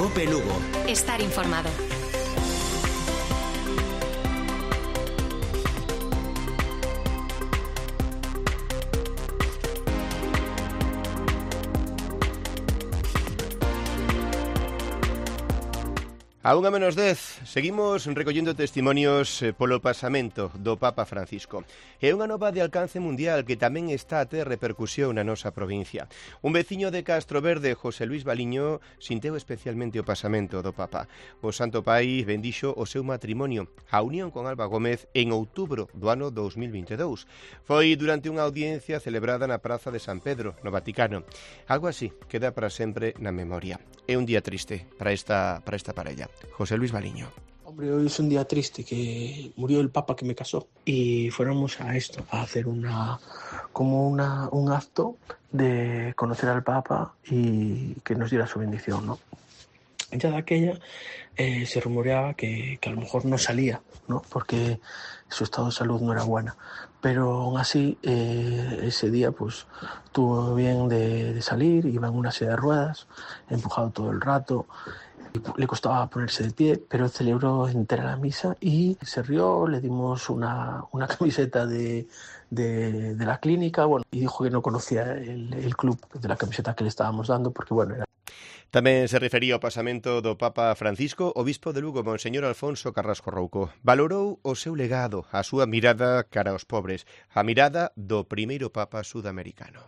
COPE Lugo. Estar informado. A 1:10, seguimos recollendo testimonios polo pasamento do Papa Francisco. É unha nova de alcance mundial que tamén está a ter repercusión na nosa provincia. Un veciño de Castro Verde, José Luis Baliño, sinteu especialmente o pasamento do Papa. O Santo Pai bendixo o seu matrimonio, a unión con Alba Gómez, en outubro do ano 2022. Foi durante unha audiencia celebrada na Praza de San Pedro, no Vaticano. Algo así queda para sempre na memoria. É un día triste para esta parella. José Luis Baliño. Hombre, hoy es un día triste, que murió el Papa que me casó y fuéramos a esto, a hacer un acto de conocer al Papa y que nos diera su bendición, ¿no? Ya de aquella se rumoreaba que a lo mejor no salía, ¿no? Porque su estado de salud no era buena, pero aún así ese día pues tuvo bien de salir, iba en una silla de ruedas, empujado todo el rato. Le costaba ponerse de pie, pero celebró entera la misa y se rió, le dimos una camiseta de la clínica, bueno, y dijo que no conocía el club de la camiseta que le estábamos dando, porque bueno, era... Tamén se refería ao pasamento do Papa Francisco. O bispo de Lugo, Monseñor Alfonso Carrasco Rouco, valorou o seu legado, a súa mirada cara aos pobres, a mirada do primeiro Papa sudamericano.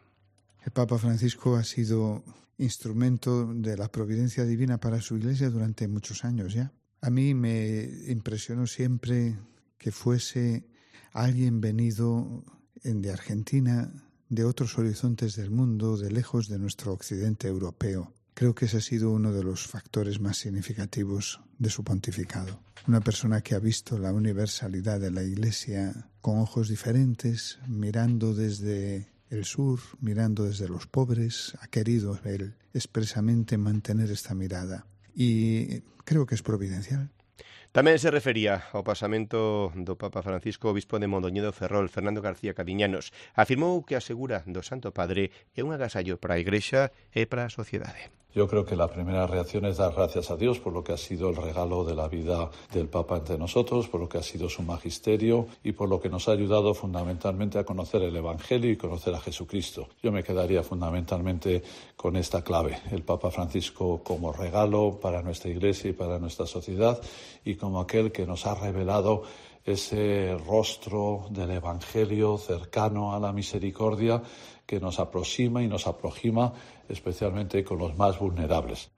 El Papa Francisco ha sido instrumento de la providencia divina para su iglesia durante muchos años ya. A mí me impresionó siempre que fuese alguien venido de Argentina, de otros horizontes del mundo, de lejos de nuestro occidente europeo. Creo que ese ha sido uno de los factores más significativos de su pontificado. Una persona que ha visto la universalidad de la iglesia con ojos diferentes, mirando desde el sur, mirando desde los pobres, ha querido él expresamente mantener esta mirada y creo que es providencial. Tamén se refería ao pasamento do Papa Francisco. O bispo de Mondoñedo Ferrol, Fernando García Cadiñanos, afirmou que a segura do Santo Padre é un agasallo para a Igrexa e para a sociedade. Yo creo que la primera reacción es dar gracias a Dios por lo que ha sido el regalo de la vida del Papa entre nosotros, por lo que ha sido su magisterio y por lo que nos ha ayudado fundamentalmente a conocer el Evangelio y conocer a Jesucristo. Yo me quedaría fundamentalmente con esta clave, el Papa Francisco como regalo para nuestra Iglesia y para nuestra sociedad y como aquel que nos ha revelado ese rostro del Evangelio cercano a la misericordia que nos aproxima y nos aproxima especialmente con los más vulnerables.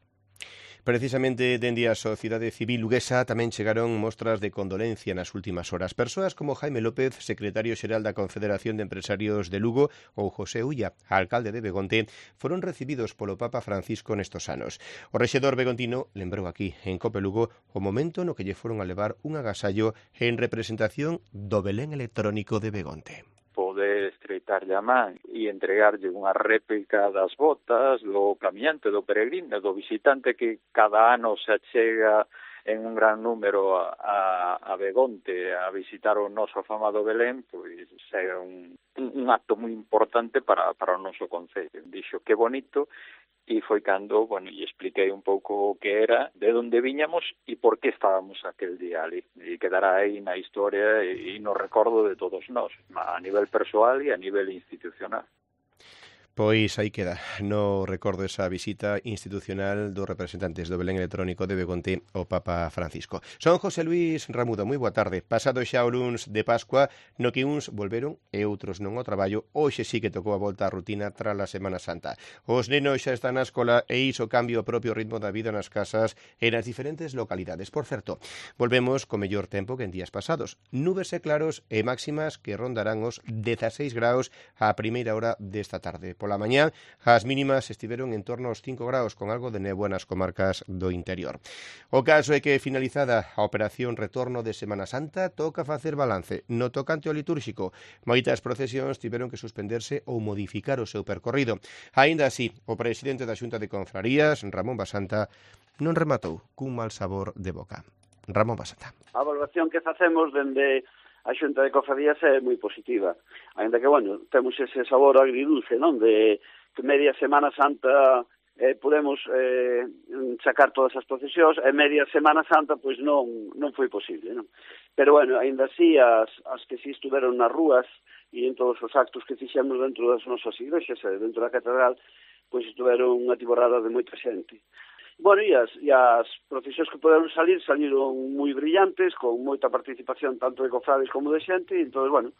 Precisamente dende a sociedade civil luguesa tamén chegaron mostras de condolencia nas últimas horas. Persoas como Jaime López, secretario xeral da Confederación de Empresarios de Lugo, ou José Ulla, alcalde de Begonte, foron recibidos polo Papa Francisco nestos anos. O rexedor begontino lembrou aquí, en Cope Lugo, o momento no que lle foron a levar un agasallo en representación do Belén electrónico de Begonte. Poder estreitarlle a man e entregarlle unha réplica das botas, do camiñante, do peregrino, do visitante que cada ano se achega en un gran número a Begonte a visitar o noso afamado Belén, pois é un acto moi importante para o noso concello. Dixo que bonito, e foi cando, lle expliquei un pouco o que era, de onde viñamos e por que estábamos aquel día ali. E quedará aí na historia e no recordo de todos nós, a nivel persoal e a nivel institucional. Pois aí queda, no recordo esa visita institucional dos representantes do Belén electrónico de Begonte ao Papa Francisco. Son José Luis Ramudo, moi boa tarde. Pasado xa o luns de Pascua, no que uns volveron e outros non ao traballo, hoxe sí que tocou a volta á rutina tras a Semana Santa. Os nenos xa están na escola e iso cambia o propio ritmo da vida nas casas e nas diferentes localidades. Por certo, volvemos co mellor tempo que en días pasados. Nubes e claros e máximas que rondarán os 16 graus á primeira hora desta tarde. Pola mañá, as mínimas estiveron en torno aos 5 graus con algo de néboa nas comarcas do interior. O caso é que, finalizada a operación retorno de Semana Santa, toca facer balance. No tocante ao litúrxico, moitas procesións tiveron que suspenderse ou modificar o seu percorrido. Aínda así, o presidente da Xunta de Confrarías, Ramón Basanta, non rematou cun mal sabor de boca. Ramón Basanta. A valoración que facemos dende a Xunta de Cofradías é moi positiva. Ainda que, temos ese sabor agridulce, non? De que media Semana Santa podemos sacar todas as procesións, e media Semana Santa pois non foi posible, non? Pero bueno, ainda así as que si estuveron nas rúas e en todos os actos que fixemos dentro das nosas iglesias e dentro da catedral, pois estuveron unha tiborrada de moita xente. Bueno, e as procesións que poderon saliron moi brillantes, con moita participación tanto de cofrades como de xente, e entón, bueno,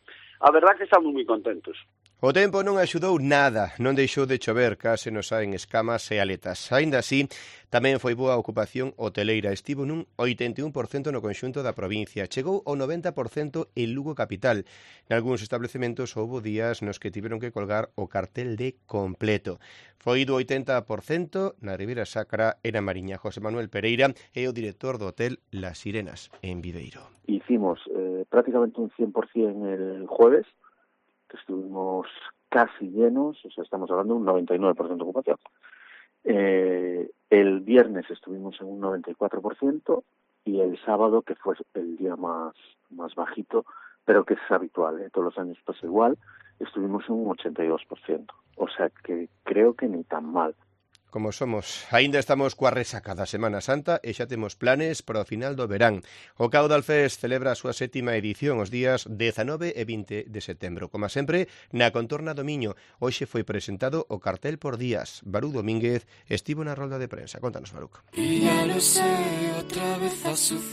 a verdad que estamos moi contentos. O tempo non axudou nada, non deixou de chover, case nos saen escamas e aletas. Aínda así, tamén foi boa a ocupación hoteleira, estivo nun 81% no conxunto da provincia, chegou ao 90% en Lugo capital. Nalgúns establecementos houbo días nos que tiveron que colgar o cartel de completo. Foi do 80% na Ribeira Sacra e na Mariña. José Manuel Pereira é o director do hotel Las Sirenas, en Viveiro. Hicimos prácticamente un 100% el jueves, que estuvimos casi llenos, o sea, estamos hablando de un 99% de ocupación. El viernes estuvimos en un 94% y el sábado, que fue el día más bajito, pero que es habitual, todos los años pasa igual, estuvimos en un 82%. O sea que creo que ni tan mal. Como somos, aínda estamos coa resaca da Semana Santa e xa temos planes para o final do verán. O Caudal Fest celebra a súa 7ª edición os días 19 e 20 de setembro. Como sempre, na contorna do Miño. Hoxe foi presentado o cartel por días. Baruch Domínguez estivo na rolda de prensa. Contanos, Baruch.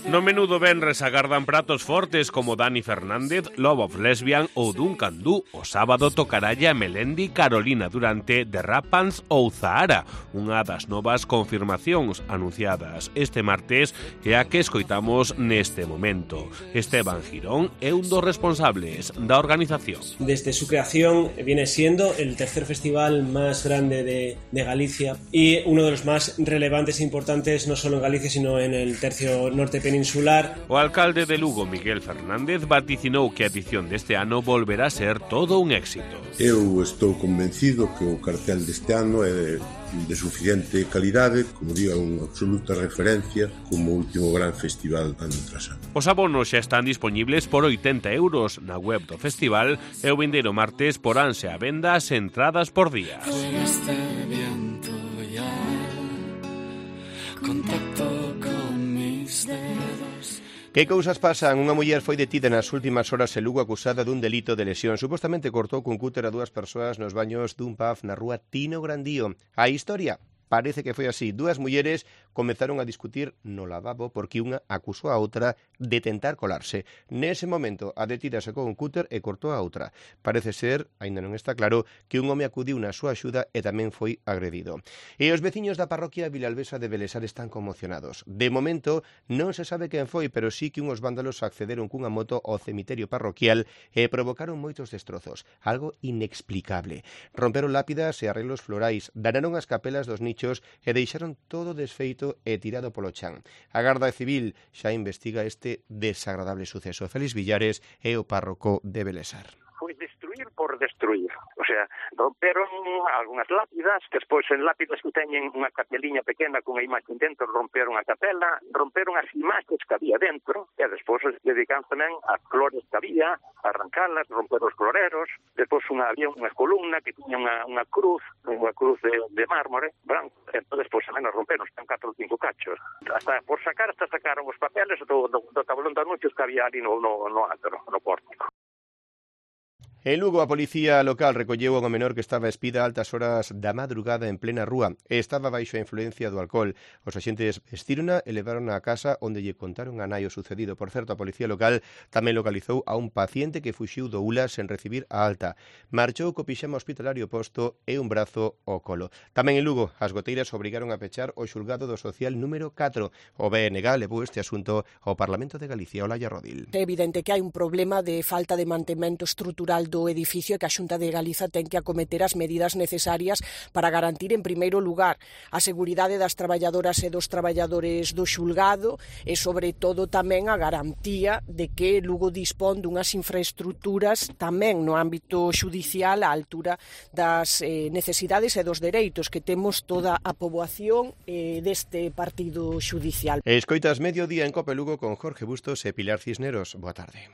No menú do venres agardan pratos fortes como Dani Fernández, Love of Lesbian ou Duncan Du. O sábado tocaralla Melendi, Carolina Durante, The Rappans ou Zahara. Unha das novas confirmacións anunciadas este martes e a que escoitamos neste momento. Esteban Girón é un dos responsables da organización. Desde su creación viene siendo el tercer festival más grande de Galicia y uno de los más relevantes e importantes no solo en Galicia sino en el tercio norte peninsular. O alcalde de Lugo, Miguel Fernández, vaticinou que a edición deste ano volverá a ser todo un éxito. Eu estou convencido que o cartel deste ano é de suficiente calidade, como diga, unha absoluta referencia como último gran festival ano tras ano. Os abonos xa están dispoñibles por 80 € na web do festival e o vindeiro martes poránse á venda as entradas por día. Que cousas pasan? Unha muller foi detida nas últimas horas en Lugo acusada dun delito de lesión. Supostamente cortou cun cúter a 2 persoas nos baños dun pub na rúa Tino Grandío. A historia parece que foi así. 2 mulleres comezaron a discutir no lavabo porque unha acusou a outra de tentar colarse. Nese momento, a detida sacou un cúter e cortou a outra. Parece ser, aínda non está claro, que un home acudiu na súa axuda e tamén foi agredido. E os veciños da parroquia vilalbesa de Belesar están conmocionados. De momento, non se sabe quen foi, pero sí que unhos vándalos accederon cunha moto ao cemiterio parroquial e provocaron moitos destrozos. Algo inexplicable. Romperon lápidas e arreglos florais, danaron as capelas dos nichos e deixaron todo desfeito e tirado polo chan. A Garda Civil xa investiga este desagradable suceso. Félix Villares é o párroco de Belesar. Foi destruir por destruir. O sea, romperon algunhas lápidas, que despois en lápidas que teñen unha capeliña pequena con a imaxe dentro, romperon a capela, romperon as imaxes que había dentro, e despois dedican tamén as flores que había, arrancalas, romper os floreros, despois había unha columna que tiña unha cruz de mármore branco, e despois tamén as romperon, están 4 ou 5 cachos. Hasta sacaron os papeles do tablón de anuncios que había ali no antro, no pórtico. En Lugo, a policía local recolleu a unha menor que estaba espida a altas horas da madrugada en plena rúa e estaba baixo a influencia do alcohol. Os axentes vestirona e levaron á casa onde lle contaron a nai o sucedido. Por certo, a policía local tamén localizou a un paciente que fuxiu do ULA sen recibir a alta. Marchou co pixama hospitalario posto e un brazo ao colo. Tamén en Lugo, as goteiras obrigaron a pechar o xulgado do social número 4. O BNG levou este asunto ao Parlamento de Galicia. Olaya Rodil. É evidente que hai un problema de falta de mantemento estrutural do edificio e que a Xunta de Galiza ten que acometer as medidas necesarias para garantir, en primeiro lugar, a seguridade das traballadoras e dos traballadores do xulgado e, sobre todo, tamén a garantía de que Lugo dispón dunhas infraestructuras tamén no ámbito xudicial á altura das necesidades e dos dereitos que temos toda a poboación deste partido xudicial. Escoitas Mediodía en Cope Lugo con Jorge Bustos e Pilar Cisneros. Boa tarde.